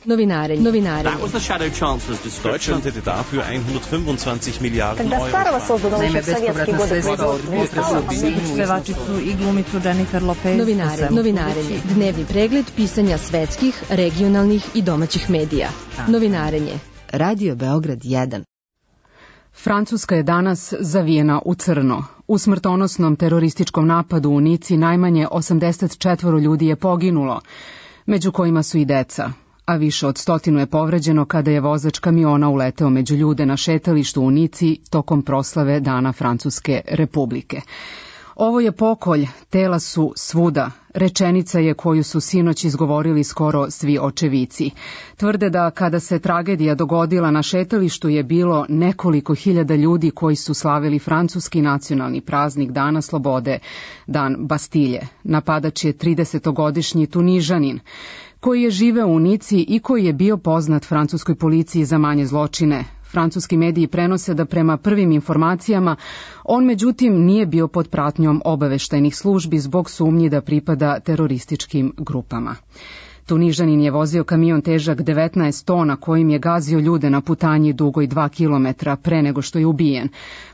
Novinarenje. Deutschland hätte dafür 125 Milijardi euro. Naime, bespovratna sredstva od pevačicu i glumicu Jennifer Lopez. Novinarenje. Dnevni pregled pisanja svetskih, regionalnih i domaćih medija. Novinarenje. Radio Beograd 1. Francuska je danas zavijena u crno. U smrtonosnom terorističkom napadu u Nici najmanje 84 ljudi je poginulo, među kojima su i deca, a više od 100 je povređeno kada je vozač kamiona uleteo među ljude na šetalištu u Nici tokom proslave Dana Francuske republike. Ovo je pokolj, tela su svuda, rečenica je koju su sinoć izgovorili skoro svi očevici. Tvrde da kada se tragedija dogodila na šetalištu je bilo nekoliko hiljada ljudi koji su slavili francuski nacionalni praznik Dana slobode, Dan Bastilje. Napadač je 30-godišnji Tunižanin, koji je živeo u Nici i koji je bio poznat francuskoj policiji za manje zločine. Francuski mediji prenose da prema prvim informacijama on međutim nije bio pod pratnjom obaveštajnih službi zbog sumnji da pripada terorističkim grupama. Tunižanin je vozio kamion težak 19 tona kojim je gazio ljude na putanji dugoj 2 kilometra pre nego što je ubijen.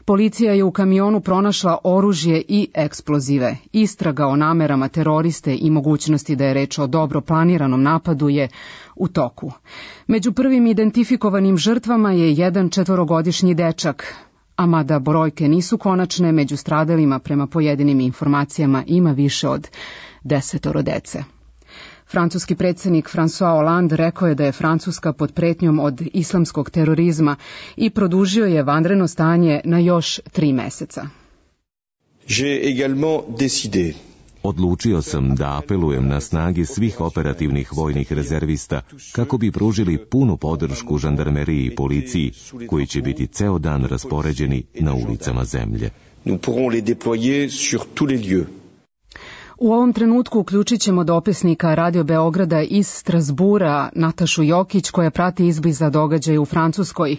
Policija je u kamionu pronašla oružje i eksplozive. Istraga o namerama teroriste i mogućnosti da je reč o dobro planiranom napadu je u toku. Među prvim identifikovanim žrtvama je jedan 4-godišnji dečak, a mada brojke nisu konačne, među stradalima prema pojedinim informacijama ima više od 10 dece. Francuski predsjednik François Hollande rekao je da je Francuska pod pretnjom od islamskog terorizma i produžio je vanredno stanje na još 3 meseca. Odlučio sam da apelujem na snage svih operativnih vojnih rezervista kako bi pružili punu podršku žandarmeriji i policiji koji će biti ceo dan raspoređeni na ulicama zemlje. U ovom trenutku uključit ćemo dopisnika Radio Beograda iz Strasbura, Natašu Jokić, koja prati izbliza događaje u Francuskoj.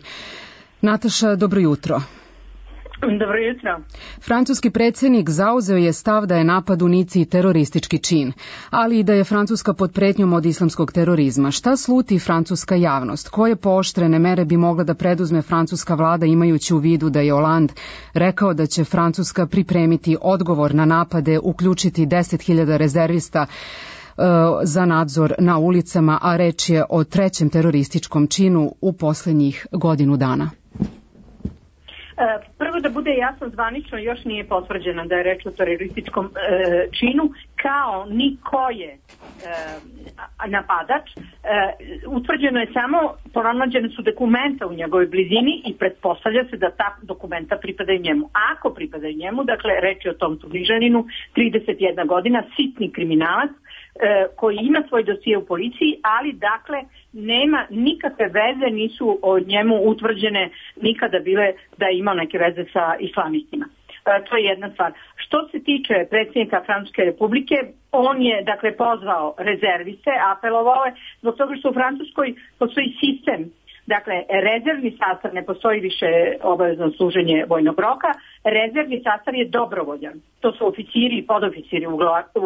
Nataša, dobro jutro. Dobro jutro. Francuski predsjednik zauzeo je stav da je napad u Nici teroristički čin, ali i da je Francuska pod pretnjom od islamskog terorizma. Šta sluti francuska javnost? Koje pooštrene mere bi mogla da preduzme francuska vlada imajući u vidu da je Hollande rekao da će Francuska pripremiti odgovor na napade, uključiti 10.000 rezervista za nadzor na ulicama, a reč je o 3. terorističkom činu u posljednjih godinu dana? Prvo da bude jasno, zvanično još nije potvrđeno da je reč o terorističkom činu, kao ni ko je napadač. Utvrđeno je samo, pronađene su dokumenta u njegovoj blizini i pretpostavlja se da ta dokumenta pripadaju njemu. Ako pripadaju njemu, dakle reč je o tom Tunižaninu, 31 godina, sitni kriminalac, koji ima svoj dosije u policiji, ali dakle nema nikakve veze, nisu od njemu utvrđene nikada bile da je imao neke veze sa islamistima. To je jedna stvar. Što se tiče predsjednika Francuske republike, on je dakle pozvao rezerviste, apelovao je, zbog toga što u Francuskoj postoji sistem. Dakle, rezervni sastav, ne postoji više obavezno služenje vojnog roka, rezervni sastav je dobrovoljan. To su oficiri i podoficiri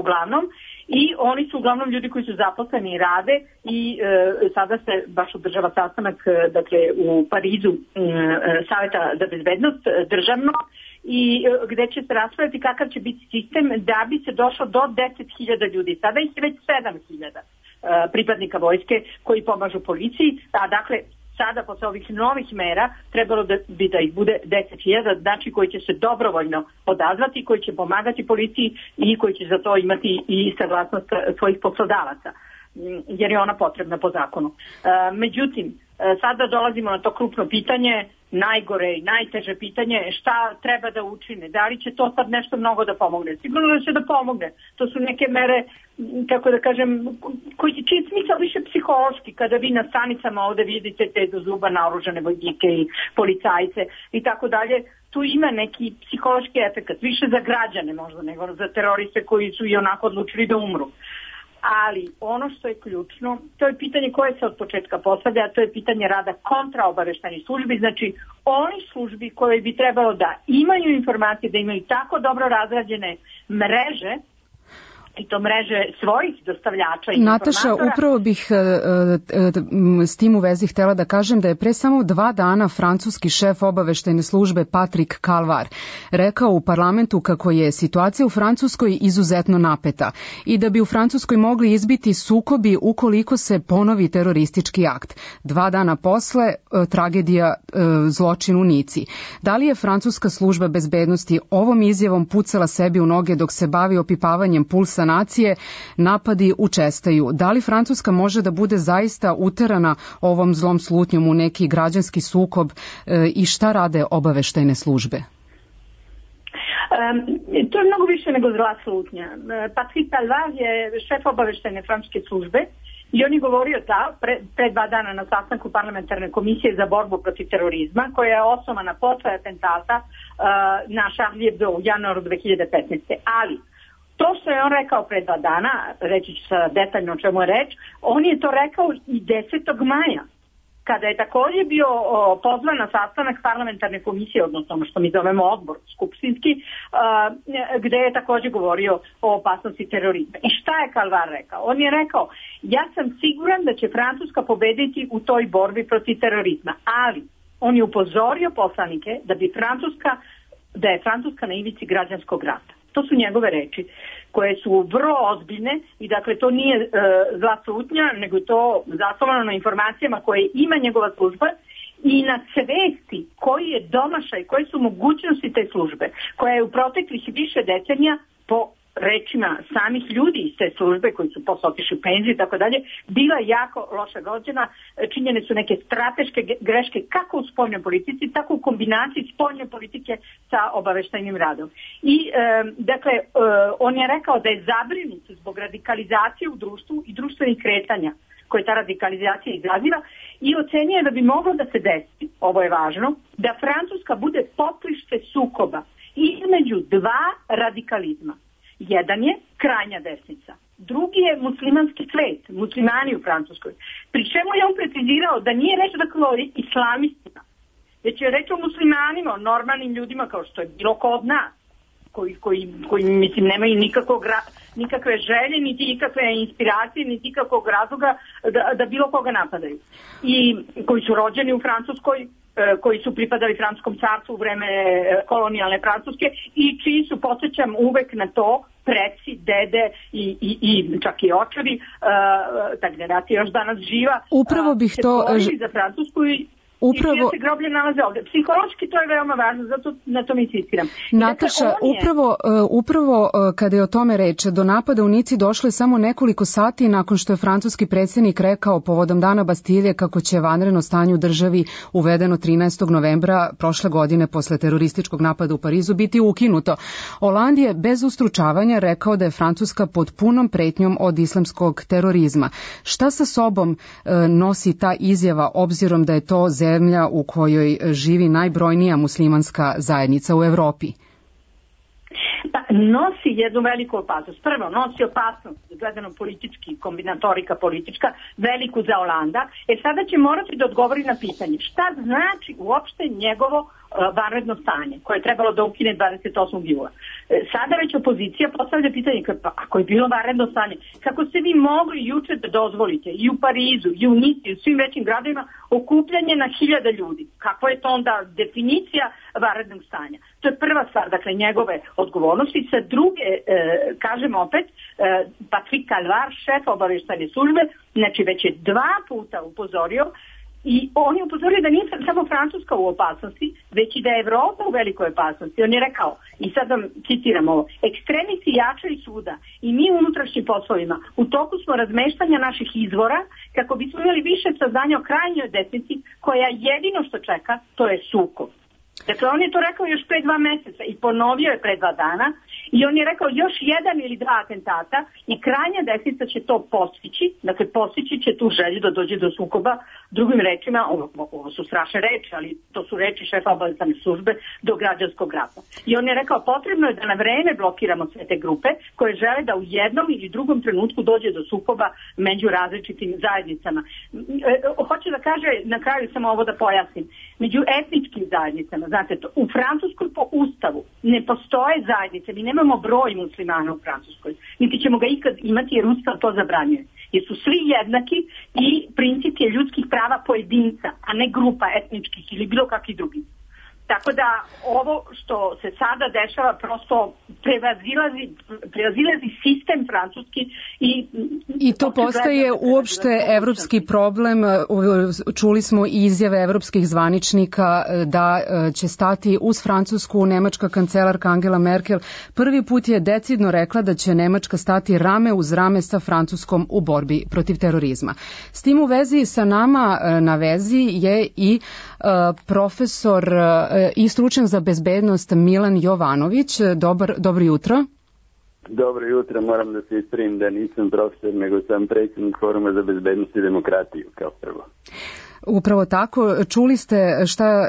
uglavnom i oni su uglavnom ljudi koji su zaposleni i rade i sada se baš održava sastanak dakle, u Parizu Saveta za bezbednost državno i gde će se raspraviti kakav će biti sistem da bi se došlo do 10.000 ljudi. Sada ih je već 7.000 pripadnika vojske koji pomažu policiji, a dakle sada posle ovih novih mera trebalo bi da ih bude 10.000, znači koji će se dobrovoljno odazvati, koji će pomagati policiji i koji će za to imati i saglasnost svojih poslodavaca, jer je ona potrebna po zakonu. Međutim, sada dolazimo na to krupno pitanje, najgore i najteže pitanje, šta treba da učine, da li će to sad nešto mnogo da pomogne. Sigurno da će da pomogne. To su neke mere, kako da kažem, koji će čini smisao više psihološki, kada vi na stanicama ovde vidite te do zuba naoružane vojnike i policajce i tako dalje. Tu ima neki psihološki efekt, više za građane možda nego za teroriste koji su i onako odlučili da umru. Ali ono što je ključno, to je pitanje koje se od početka postavlja, a to je pitanje rada kontraobaveštajnih službi, znači onih službi koje bi trebalo da imaju informacije, da imaju tako dobro razrađene mreže. i to mreže svojih dostavljača i Nataša, informatora. upravo bih s tim u vezi htjela da kažem da je pre samo 2 dana francuski šef obaveštajne službe Patrick Calvar rekao u parlamentu kako je situacija u Francuskoj izuzetno napeta i da bi u Francuskoj mogli izbiti sukobi ukoliko se ponovi teroristički akt. 2 dana posle tragedija, zločin u Nici. Da li je francuska služba bezbednosti ovom izjavom pucala sebi u noge dok se bavi opipavanjem pulsa nacije? Napadi učestaju. Da li Francuska može da bude zaista uterana ovom zlom slutnjom u neki građanski sukob i šta rade obaveštajne službe? To je mnogo više nego zla slutnja. Patrick Calvar je šef obaveštajne francuske službe i on je govorio pre 2 dana na sastanku parlamentarne komisije za borbu protiv terorizma, koja je osnovana posle atentata na Charlie Hebdo u januaru 2015. Ali to što je on rekao pre 2 dana, reći ću sada detaljno o čemu je reč, on je to rekao i 10. maja, kada je također bio pozvan na sastanak parlamentarne komisije, odnosno ono što mi zovemo odbor skupštinski, gde je također govorio o opasnosti terorizma. I šta je Calvar rekao? On je rekao, ja sam siguran da će Francuska pobediti u toj borbi protiv terorizma, ali on je upozorio poslanike da je Francuska na ivici građanskog rata. To su njegove reči koje su vrlo ozbiljne i dakle to nije zla slutnja, nego je to zasnovano na informacijama koje ima njegova služba i na svesti koji je domašaj, koje su mogućnosti te službe, koja je u proteklih više decenija po rečima samih ljudi iz te službe koji su posle otišli u penziju i tako dalje, bila jako loša vođena, činjene su neke strateške greške kako u spoljnoj politici, tako u kombinaciji spoljne politike sa obaveštajnim radom. I dakle, on je rekao da je zabrinut zbog radikalizacije u društvu i društvenih kretanja koje ta radikalizacija izaziva i ocenjuje da bi moglo da se desi, ovo je važno, da Francuska bude poprište sukoba između 2 radikalizma. Jedan je krajnja desnica, drugi je muslimanski svet, muslimani u Francuskoj. Pri čemu je on precizirao da nije reč o islamistima, već je reč o muslimanima, o normalnim ljudima kao što je bilo ko od nas, koji mislim nemaju nikakve želje, niti nikakve inspiracije, niti nikakvog razloga da bilo koga napadaju. I koji su rođeni u Francuskoj, koji su pripadali francuskom carstvu u vreme kolonijalne Francuske i čiji su, podsjećam uvek na to, preci, dede i čak i očevi, ta generacija još danas živa, upravo bih se to borili za Francusku i čije se groblje nalaze ovdje. Psihološki to je veoma važno, zato na tom insistiram. Nataša, upravo kada je o tome reč, do napada u Nici došlo je samo nekoliko sati nakon što je francuski predsjednik rekao povodom Dana Bastilje kako će vanredno stanje u državi uvedeno 13. novembra prošle godine posle terorističkog napada u Parizu biti ukinuto. Hollande je bez ustručavanja rekao da je Francuska pod punom pretnjom od islamskog terorizma. Šta sa sobom nosi ta izjava, obzirom da je to zemlja u kojoj živi najbrojnija muslimanska zajednica u Evropi? Pa, nosi jednu veliku opasnost. Prvo, nosi opasnost, gledano politički, kombinatorika politička, veliku za Holanda. Sada će morati da odgovori na pitanje šta znači uopšte njegovo vanredno stanje, koje je trebalo da ukine 28. jula. Sada već opozicija postavlja pitanje, pa ako je bilo vanredno stanje, kako ste vi mogli juče da dozvolite i u Parizu, i u Nici, i u svim većim gradovima okupljanje na 1000 ljudi? Kakva je to onda definicija vanrednog stanja? To je prva stvar, dakle, njegove odgovornosti. Sa druge, kažem opet, Patrick Calvar, šef obaveštajne službe, znači već je 2 puta upozorio. I on je upozorio da nije samo Francuska u opasnosti, već i da je Evropa u velikoj opasnosti. On je rekao, i sad vam citiram ovo, ekstremisti jačaju svuda i mi u unutrašnjim poslovima u toku smo razmeštanja naših izvora kako bismo imali više saznanja o krajnjoj desnici koja jedino što čeka, to je sukob. Dakle, on je to rekao još pre 2 meseca i ponovio je pre 2 dana i on je rekao još 1 ili 2 atentata i krajnja desnica će to postići, dakle postići će tu želju da dođe do sukoba, drugim rečima, ovo su strašne reči, ali to su reči šefa obaveštajne službe, do građanskog rata. I on je rekao potrebno je da na vreme blokiramo sve te grupe koje žele da u jednom ili drugom trenutku dođe do sukoba među različitim zajednicama. Hoće da kaže, na kraju samo ovo da pojasnim, među etničkim zajednicama, znate, u Francuskoj po ustavu ne postoje zajednice, mi nemamo broj muslimana u Francuskoj, niti ćemo ga ikad imati jer ustav to zabranjuje. Jer su svi jednaki i princip je ljudskih prava pojedinca, a ne grupa etničkih ili bilo kakvih drugih. Tako da ovo što se sada dešava prosto prevazilazi sistem francuski i to postaje uopšte evropski problem. Čuli smo izjave evropskih zvaničnika da će stati uz Francusku. Nemačka kancelarka Angela Merkel prvi put je decidno rekla da će Nemačka stati rame uz rame sa Francuskom u borbi protiv terorizma. S tim u vezi sa nama na vezi je i profesor i stručnjak za bezbednost Milan Jovanović. Dobro jutro. Dobro jutro, moram da se ispravim da nisam profesor, nego sam predsjednik Foruma za bezbednost i demokratiju kao prvo. Upravo tako. Čuli ste šta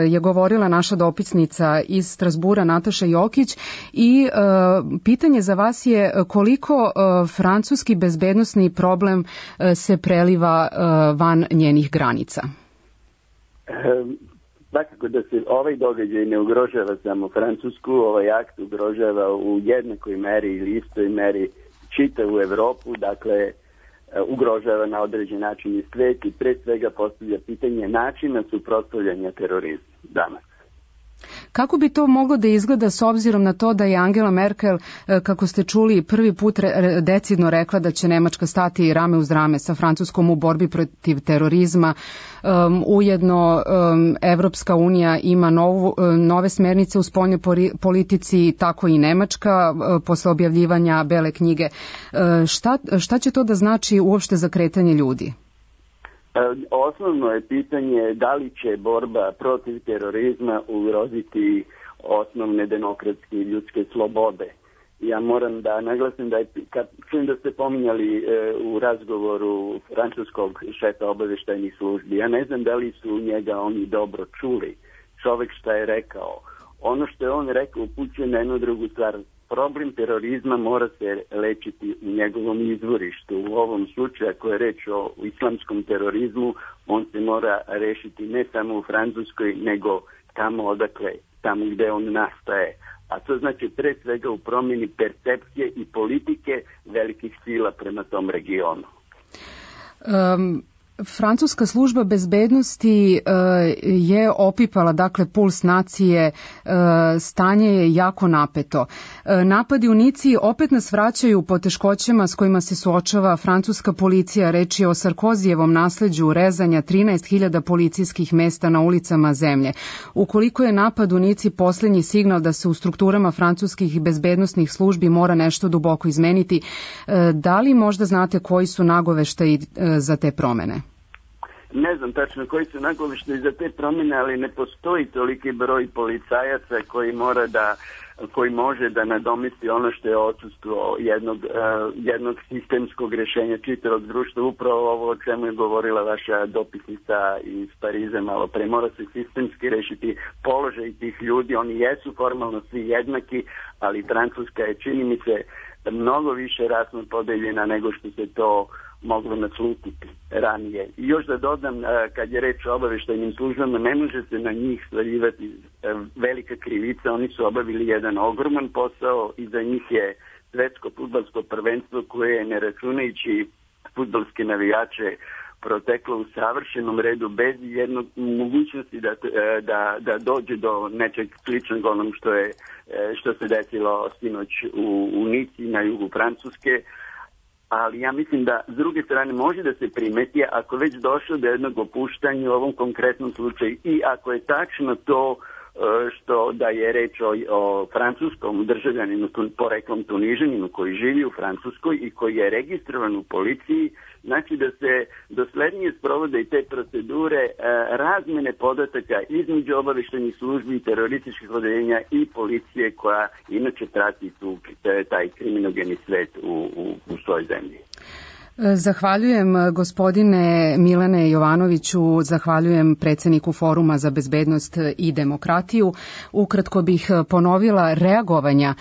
je govorila naša dopisnica iz Strasbura Nataša Jokić i pitanje za vas je koliko francuski bezbednosni problem se preliva van njenih granica? Svakako da se ovaj događaj ne ugrožava samo Francusku, ovaj akt ugrožava u jednakoj meri ili istoj meri čitavu Evropu, dakle ugrožava na određen način i svet i pre svega postavlja pitanje načina suprotstavljanja terorizmu danas. Kako bi to moglo da izgleda s obzirom na to da je Angela Merkel, kako ste čuli, prvi put decidno rekla da će Nemačka stati rame uz rame sa Francuskom u borbi protiv terorizma. Ujedno Evropska unija ima nove smernice u spoljnoj politici, tako i Nemačka posle objavljivanja Bele knjige. Šta će to da znači uopšte za kretanje ljudi? Osnovno je pitanje da li će borba protiv terorizma ugroziti osnovne demokratske i ljudske slobode. Ja moram da naglasim da kad čujem da ste pominjali u razgovoru francuskog šefa obaveštajnih službi, ja ne znam da li su njega oni dobro čuli. Čovek šta je rekao. Ono što je on rekao upućuje na jednu drugu stvar. Problem terorizma mora se lečiti u njegovom izvorištu. U ovom slučaju, ako je reč o islamskom terorizmu, on se mora rešiti ne samo u Francuskoj, nego tamo gde on nastaje. A to znači pre svega u promjeni percepcije i politike velikih sila prema tom regionu. Francuska služba bezbednosti je opipala, dakle, puls nacije, stanje je jako napeto. Napadi u Nici opet nas vraćaju po teškoćama s kojima se suočava francuska policija. Reč je o Sarkozijevom nasleđu rezanja 13.000 policijskih mesta na ulicama zemlje. Ukoliko je napad u Nici posljednji signal da se u strukturama francuskih bezbednosnih službi mora nešto duboko izmeniti, da li možda znate koji su nagoveštaji za te promene? Ne znam tačno koji su nagoveštaji za te promjene, ali ne postoji toliki broj policajaca koji može da nadomesti ono što je odsustvo jednog sistemskog rješenja čitavog društva. Upravo ovo o čemu je govorila vaša dopisnica iz Pariza malo pre. Mora se sistemski rešiti položaj tih ljudi. Oni jesu formalno svi jednaki, ali Francuska je, čini mi se, mnogo više rasno podeljena nego što se to moglo naslutiti ranije. I još da dodam, kad je reč o obaveštajnim službama, ne može se na njih svaljivati velika krivica. Oni su obavili jedan ogroman posao i za njih je svetsko fudbalsko prvenstvo koje, ne računajući fudbalske navijače, proteklo u savršenom redu bez jednog mogućnosti da dođe do nečeg sličnog onom što se desilo sinoć u Nici na jugu Francuske. Ali ja mislim da s druge strane može da se primeti ako već došlo do jednog opuštanja u ovom konkretnom slučaju i ako je tačno to što da je reč o francuskom državljaninu, poreklom Tunižaninu koji živi u Francuskoj i koji je registrovan u policiji, znači da se doslednije sprovode i te procedure razmene podataka između obaveštajnih službi i terorističkih odeljenja i policije koja inače prati taj kriminogeni svet u svojoj zemlji. Zahvaljujem gospodine Milane Jovanoviću, zahvaljujem predsjedniku Foruma za bezbednost i demokratiju. Ukratko bih ponovila reagovanja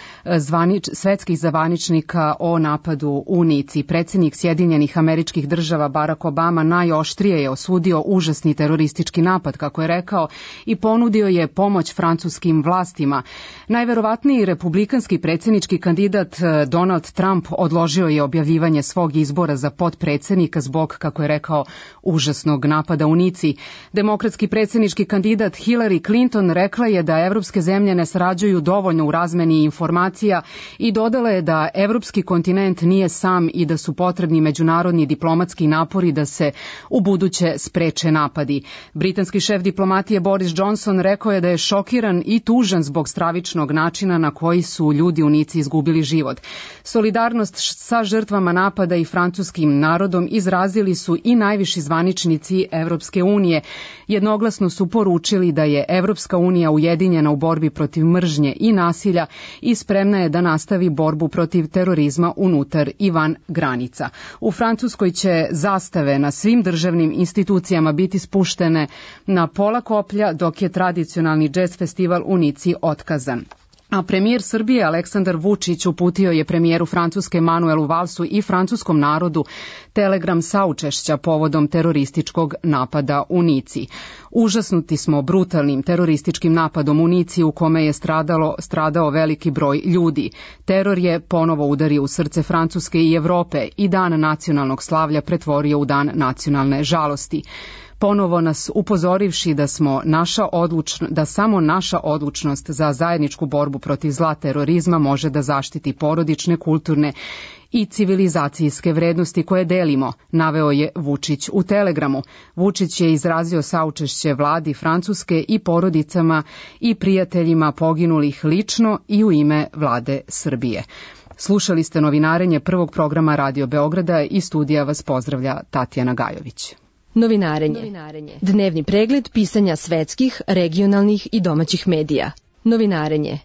svetskih zvaničnika o napadu u Nici. Predsjednik Sjedinjenih Američkih Država Barack Obama najoštrije je osudio užasni teroristički napad, kako je rekao, i ponudio je pomoć francuskim vlastima. Najverovatniji republikanski predsjednički kandidat Donald Trump odložio je objavljivanje svog izbora za potpredsjednika zbog, kako je rekao, užasnog napada u Nici. Demokratski predsjednički kandidat Hillary Clinton rekla je da evropske zemlje ne sarađuju dovoljno u razmeni informacija i dodala je da evropski kontinent nije sam i da su potrebni međunarodni diplomatski napori da se u buduće spreče napadi. Britanski šef diplomatije Boris Johnson rekao je da je šokiran i tužan zbog stravičnog načina na koji su ljudi u Nici izgubili život. Solidarnost sa žrtvama napada i francuskim narodom izrazili su i najviši zvaničnici Evropske unije. Jednoglasno su poručili da je Evropska unija ujedinjena u borbi protiv mržnje i nasilja i spremna je da nastavi borbu protiv terorizma unutar i van granica. U Francuskoj će zastave na svim državnim institucijama biti spuštene na pola koplja, dok je tradicionalni džez festival u Nici otkazan. A premijer Srbije Aleksandar Vučić uputio je premijeru Francuske Manuelu Valsu i francuskom narodu telegram saučešća povodom terorističkog napada u Nici. Užasnuti smo brutalnim terorističkim napadom u Nici u kome je stradao veliki broj ljudi. Teror je ponovo udario u srce Francuske i Evrope i dan nacionalnog slavlja pretvorio u dan nacionalne žalosti. Ponovo nas upozorivši da samo naša odlučnost za zajedničku borbu protiv zla terorizma može da zaštiti porodične, kulturne i civilizacijske vrednosti koje delimo, naveo je Vučić u telegramu. Vučić je izrazio saučešće vladi Francuske i porodicama i prijateljima poginulih lično i u ime vlade Srbije. Slušali ste novinarenje prvog programa Radio Beograda i studija vas pozdravlja Tatjana Gajović. Novinarenje. Dnevni pregled pisanja svetskih, regionalnih i domaćih medija. Novinarenje.